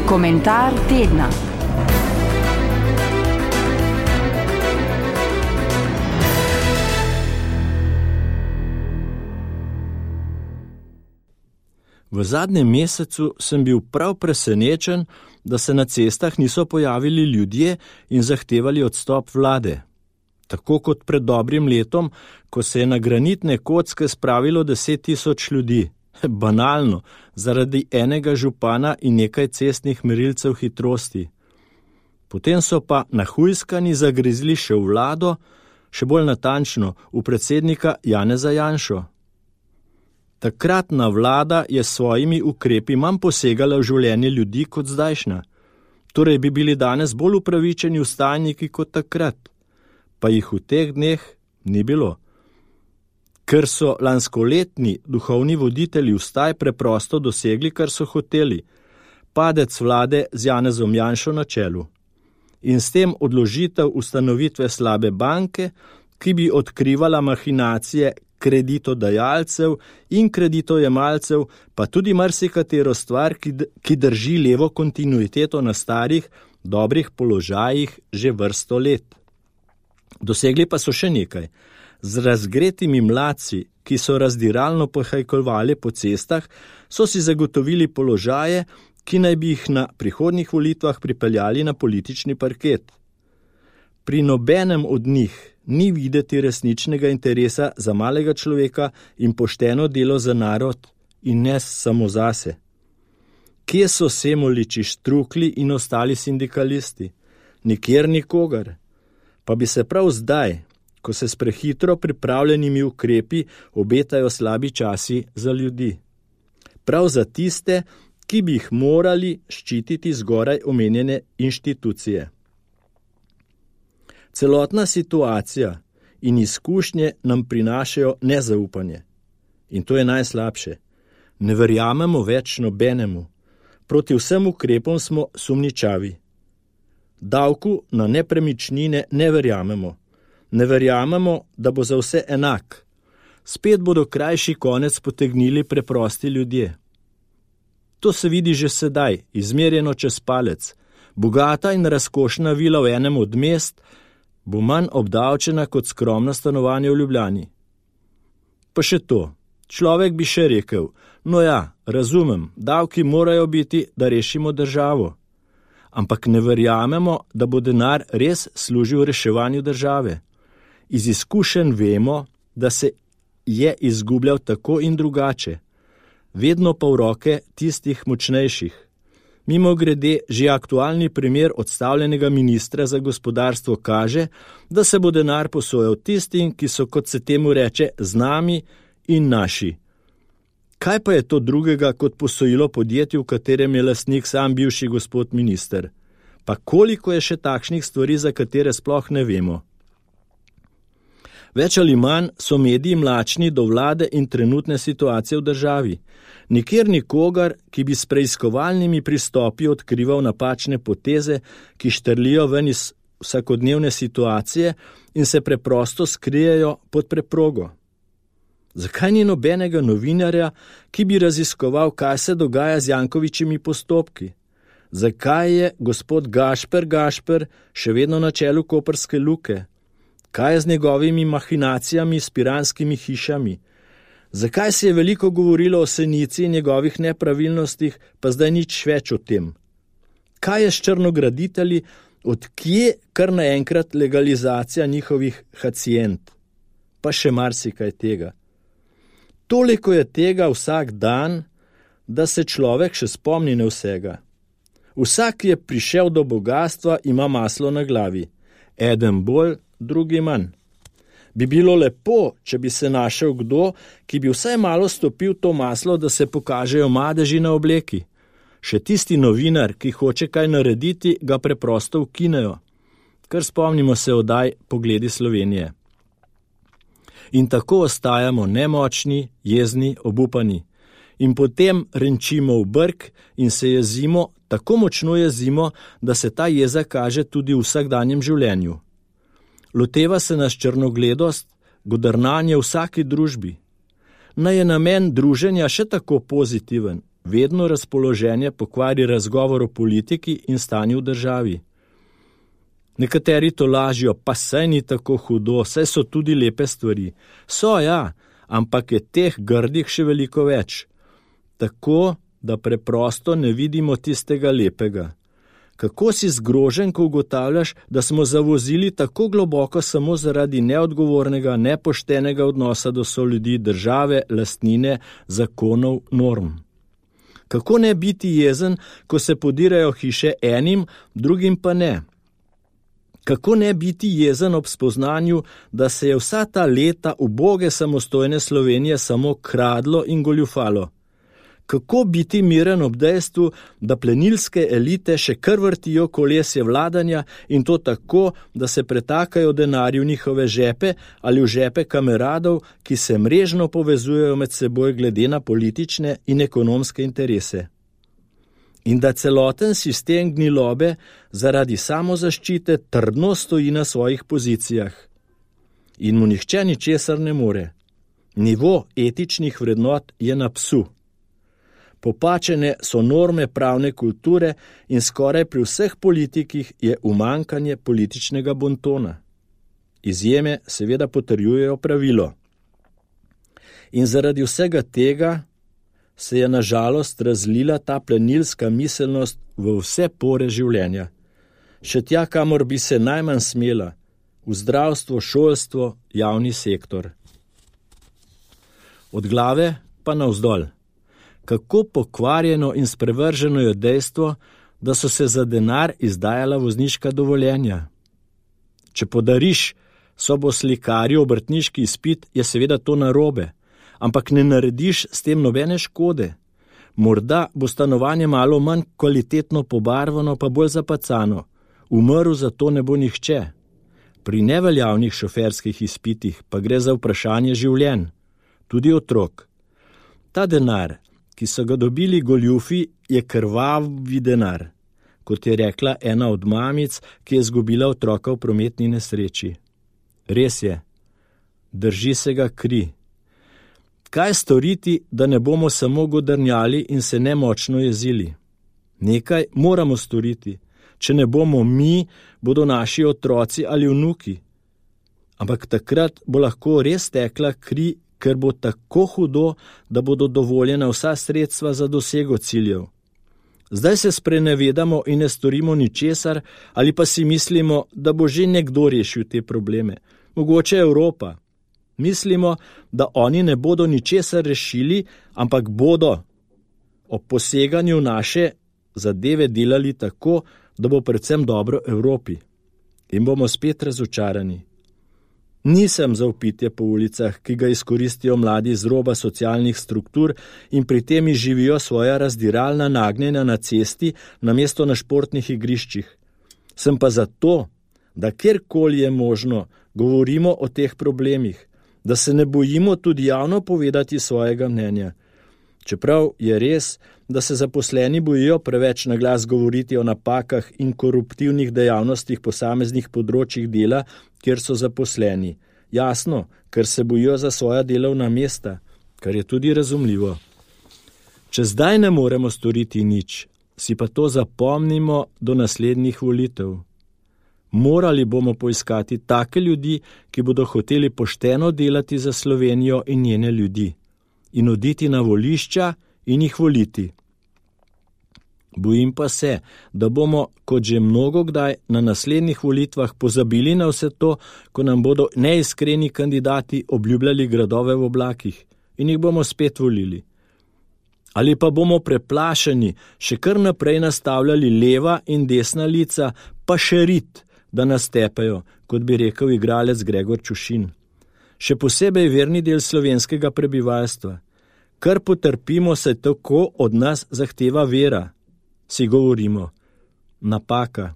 Komentar tedna. V zadnjem mesecu sem bil prav presenečen, da se na cestah niso pojavili ljudje in zahtevali odstop vlade. Tako kot pred dobrim letom, ko se je na granitne kocke spravilo 10.000 ljudi. Banalno, zaradi enega župana in nekaj cestnih merilcev hitrosti. Potem so pa nahujskani zagrizli še v vlado, še bolj natančno v predsednika Janeza Janšo. Takratna vlada je s svojimi ukrepi manj posegala v življenje ljudi kot zdajšnja. Torej bi bili danes bolj upravičeni vstajniki kot takrat, pa jih v teh dneh ni bilo. Ker so lanskoletni duhovni voditelji vstaj preprosto dosegli, kar so hoteli, padec vlade z Janezom Janšo na čelu. In s tem odložitev ustanovitve slabe banke, ki bi odkrivala mahinacije kreditodajalcev in kreditojemalcev, pa tudi marsikatero stvar, ki drži levo kontinuiteto na starih, dobrih položajih že vrsto let. Dosegli pa so še nekaj. Z razgretimi mladci, ki so razdiralno pohajkovali po cestah, so si zagotovili položaje, ki naj bi jih na prihodnjih volitvah pripeljali na politični parket. Pri nobenem od njih ni videti resničnega interesa za malega človeka in pošteno delo za narod in ne samo zase. Kje so Semoliči, Štrukli in ostali sindikalisti? Nikjer nikogar. Pa bi se prav zdaj, ko se s prehitro pripravljenimi ukrepi obetajo slabi časi za ljudi. Prav za tiste, ki bi jih morali ščititi zgoraj omenjene inštitucije. Celotna situacija in izkušnje nam prinašajo nezaupanje. In to je najslabše. Ne verjamemo več nobenemu. Proti vsem ukrepom smo sumničavi. Davku na nepremičnine ne verjamemo. Ne verjamemo, da bo za vse enak. Spet bodo krajši konec potegnili preprosti ljudje. To se vidi že sedaj, izmerjeno čez palec. Bogata in razkošna vila v enem od mest bo manj obdavčena kot skromno stanovanje v Ljubljani. Pa še to. Človek bi še rekel, no ja, razumem, davki morajo biti, da rešimo državo. Ampak ne verjamemo, da bo denar res služil reševanju države. Iz izkušenj vemo, da se je izgubljal tako in drugače, vedno pa v roke tistih močnejših. Mimogrede, že aktualni primer odstavljenega ministra za gospodarstvo kaže, da se bo denar posojal tistim, ki so, kot se temu reče, z nami in naši. Kaj pa je to drugega kot posojilo podjetju, v katerem je lastnik sam bivši gospod minister? Pa koliko je še takšnih stvari, za katere sploh ne vemo? Več ali manj so mediji mlačni do vlade in trenutne situacije v državi. Nikjer nikogar, ki bi s preiskovalnimi pristopi odkrival napačne poteze, ki štrlijo ven iz vsakodnevne situacije in se preprosto skrijejo pod preprogo. Zakaj ni nobenega novinarja, ki bi raziskoval, kaj se dogaja z Jankovičimi postopki? Zakaj je gospod Gašper še vedno na čelu Koprske luke? Kaj je z njegovimi mahinacijami s piranskimi hišami? Zakaj se je veliko govorilo o Senici in njegovih nepravilnostih, pa zdaj nič več o tem? Kaj je s črnograditelji, odkje kar naenkrat legalizacija njihovih hacient? Pa še marsikaj tega. Toliko je tega vsak dan, da se človek še spomni ne vsega. Vsak, ki je prišel do bogastva, ima maslo na glavi. Eden bolj, drugi manj. Bi bilo lepo, če bi se našel kdo, ki bi vsaj malo stopil to maslo, da se pokažejo madeži na obleki. Še tisti novinar, ki hoče kaj narediti, ga preprosto ukinejo. Kar spomnimo se oddaj Pogledi Slovenije. In tako ostajamo nemočni, jezni, obupani. In potem renčimo v brk in se jezimo, tako močno jezimo, da se ta jeza kaže tudi v vsakdanjem življenju. Loteva se nas črnogledost, godrnanje v vsaki družbi. Naj je namen druženja še tako pozitiven, vedno razpoloženje pokvari razgovor o politiki in stanju v državi. Nekateri to lažijo, pa saj ni tako hudo, saj so tudi lepe stvari. So, ja, ampak je teh grdih še veliko več. Tako, da preprosto ne vidimo tistega lepega. Kako si zgrožen, ko ugotavljaš, da smo zavozili tako globoko samo zaradi neodgovornega, nepoštenega odnosa do soljudi, države, lastnine, zakonov, norm. Kako ne biti jezen, ko se podirajo hiše enim, drugim pa ne? Kako ne biti jezen ob spoznanju, da se je vsa ta leta uboge samostojne Slovenije samo kradlo in goljufalo? Kako biti miren ob dejstvu, da plenilske elite še kar vrtijo kolesje vladanja in to tako, da se pretakajo denarji v njihove žepe ali v žepe kameradov, ki se mrežno povezujejo med seboj glede na politične in ekonomske interese? In da celoten sistem gnilobe zaradi samozaščite trdno stoji na svojih pozicijah. In mu nihče ničesar ne more. Nivo etičnih vrednot je na psu. Popačene so norme pravne kulture in skoraj pri vseh politikih je umanjkanje političnega bontona. Izjeme seveda potrjujejo pravilo. In zaradi vsega tega se je na žalost razlila ta plenilska miselnost v vse pore življenja. Še tja, kamor bi se najmanj smela, v zdravstvo, šolstvo, javni sektor. Od glave pa navzdol. Kako pokvarjeno in sprevrženo je dejstvo, da so se za denar izdajala vozniška dovoljenja. Če podariš soboslikarju obrtniški izpit, je seveda to narobe, ampak ne narediš s tem nobene škode. Morda bo stanovanje malo manj kvalitetno pobarvano, pa bolj zapacano. Umrl za to ne bo nihče. Pri neveljavnih šoferskih izpitih pa gre za vprašanje življenj, tudi otrok. Ta denar, ki so ga dobili goljufi, je krvavi denar, kot je rekla ena od mamic, ki je izgubila otroka v prometni nesreči. Res je, drži se ga kri. Kaj storiti, da ne bomo samo godrnjali in se nemočno jezili? Nekaj moramo storiti. Če ne bomo mi, bodo naši otroci ali vnuki. Ampak takrat bo lahko res tekla kri, ker bo tako hudo, da bodo dovoljena vsa sredstva za dosego ciljev. Zdaj se sprenevedamo in ne storimo ničesar, ali pa si mislimo, da bo že nekdo rešil te probleme. Mogoče Evropa. Mislimo, da oni ne bodo ničesar rešili, ampak bodo ob poseganju naše zadeve delali tako, da bo predvsem dobro Evropi. In bomo spet razočarani. Nisem za vpitje po ulicah, ki ga izkoristijo mladi z roba socialnih struktur in pri tem živijo svoja razdiralna nagnjenja na cesti namesto na športnih igriščih. Sem pa zato, da kjerkoli je možno, govorimo o teh problemih, da se ne bojimo tudi javno povedati svojega mnenja. Čeprav je res, da se zaposleni bojijo preveč na glas govoriti o napakah in koruptivnih dejavnostih posameznih področjih dela, kjer so zaposleni. Jasno, ker se bojijo za svoja delovna mesta, kar je tudi razumljivo. Če zdaj ne moremo storiti nič, si pa to zapomnimo do naslednjih volitev. Morali bomo poiskati take ljudi, ki bodo hoteli pošteno delati za Slovenijo in njene ljudi, in oditi na volišča in jih voliti. Bojim pa se, da bomo, kot že mnogokdaj, na naslednjih volitvah pozabili na vse to, ko nam bodo neiskreni kandidati obljubljali gradove v oblakih in jih bomo spet volili. Ali pa bomo preplašeni še kar naprej nastavljali leva in desna lica, pa še rit, da nas tepejo, kot bi rekel igralec Gregor Čušin. Še posebej verni del slovenskega prebivalstva. Kar potrpimo, se tako od nas zahteva vera. Si govorimo. Napaka.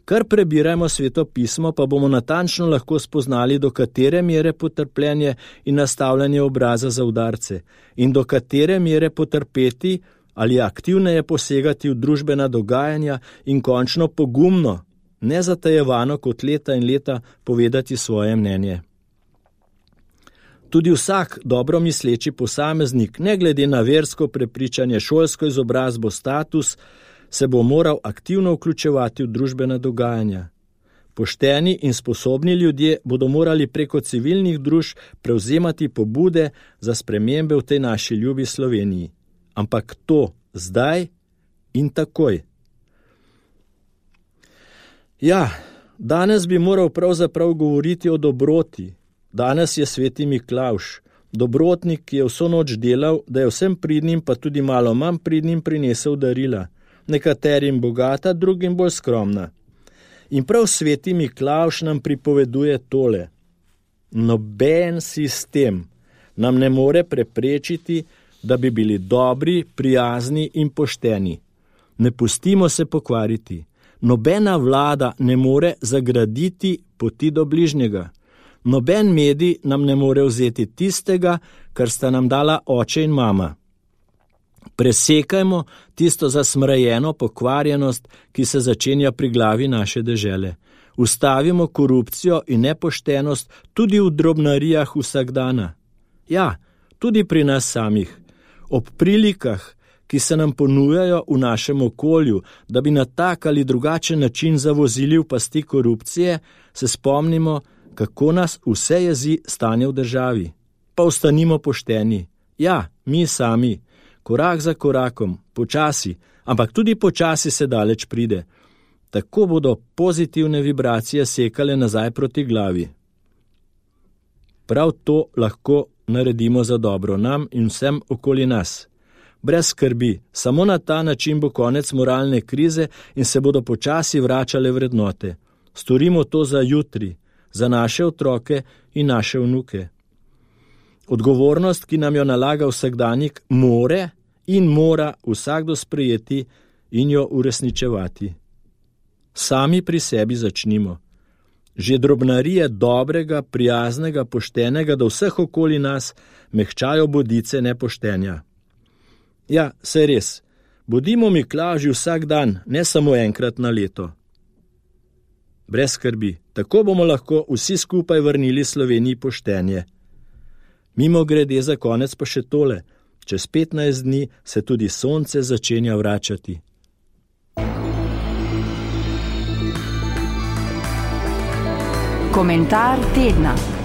Kar prebirajmo Sveto pismo, pa bomo natančno lahko spoznali, do katere mere potrpljenje in nastavljanje obraza za udarce in do katere mere potrpeti ali aktivneje posegati v družbena dogajanja in končno pogumno, nezatajevano kot leta in leta povedati svoje mnenje. Tudi vsak dobro misleči posameznik, ne glede na versko prepričanje, šolsko izobrazbo, status, se bo moral aktivno vključevati v družbena dogajanja. Pošteni in sposobni ljudje bodo morali preko civilnih družb prevzemati pobude za spremembe v tej naši ljubi Sloveniji. Ampak to zdaj in takoj. Ja, danes bi moral pravzaprav govoriti o dobroti. Danes je sveti Miklavž, dobrotnik, ki je vso noč delal, da je vsem pridnim, pa tudi malo manj pridnim prinesel darila. Nekaterim bogata, drugim bolj skromna. In prav sveti Miklavž nam pripoveduje tole. Noben sistem nam ne more preprečiti, da bi bili dobri, prijazni in pošteni. Ne pustimo se pokvariti. Nobena vlada ne more zagraditi poti do bližnjega. Noben medij nam ne more vzeti tistega, kar sta nam dala oče in mama. Presekajmo tisto zasmrajeno pokvarjenost, ki se začenja pri glavi naše dežele. Ustavimo korupcijo in nepoštenost tudi v drobnarijah vsakdana. Ja, tudi pri nas samih. Ob prilikah, ki se nam ponujajo v našem okolju, da bi na tak ali drugačen način zavozili v pasti korupcije, se spomnimo, kako nas vse jezi stanje v državi. Pa ostanimo pošteni. Ja, mi sami. Korak za korakom, počasi, ampak tudi počasi se daleč pride. Tako bodo pozitivne vibracije sekale nazaj proti glavi. Prav to lahko naredimo za dobro nam in vsem okoli nas. Brez skrbi, samo na ta način bo konec moralne krize in se bodo počasi vračale vrednote. Storimo to za jutri, za naše otroke in naše vnuke. Odgovornost, ki nam jo nalaga vsakdanjik, mora vsakdo sprejeti in jo uresničevati. Sami pri sebi začnimo. Že drobnarije dobrega, prijaznega, poštenega do vseh okoli nas mehčajo bodice nepoštenja. Ja, saj res, bodimo Miklavži vsak dan, ne samo enkrat na leto. Brez skrbi, tako bomo lahko vsi skupaj vrnili Sloveniji poštenje. Mimogrede za konec pa še tole. Čez 15 dni se tudi sonce začenja vračati. Komentar tedna.